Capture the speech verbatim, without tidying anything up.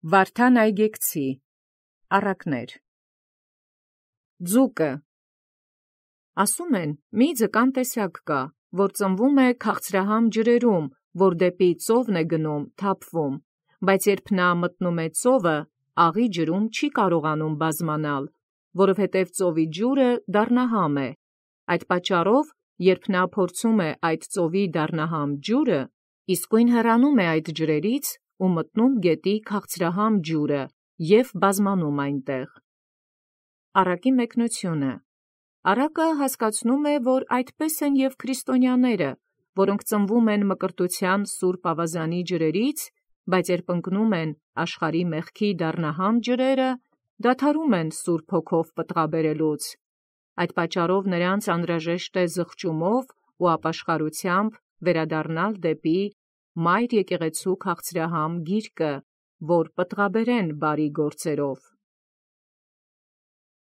Վարդան Այգեկցի առակներ։ Ձուկը ասում են, մի ձկան տեսակ կա, որ ծնվում է քաղցրահամ ջրերում, որ դեպի ծովն է գնում, թափվում, բայց երբ նա մտնում է ծովը, աղի ջրում չի կարողանում բազմանալ, որովհետև ծովի ջուրը դառնահամ է։ Այդ պատճառով, երբ նա փորձում է այդ ծովի դառնահամ ջուրը, իսկույն հեռանում է այդ ջրերից ու մտնում գետի քաղցրահամ ջուրը և բազմանում այնտեղ։ Առակի մեկնությունը Առակը հասկացնում է, որ այդպես են և քրիստոնյաները, որոնք ծնվում են մկրտության սուրբ ավազանի ջրերից, բայց երբ ընկնում են աշխարհի մեղքի դառնահամ ջրերը, դադարում են Սուրբ Հոգով պտղաբերելուց։ Այդ պատճառով նրանց անհրաժեշտ է զղջումով ու ապաշխարությամբ վերադառնալ դեպի Մայր եկեղեցու քաղցրահամ գիրկը, որ պտղաբերեն բարի գործերով։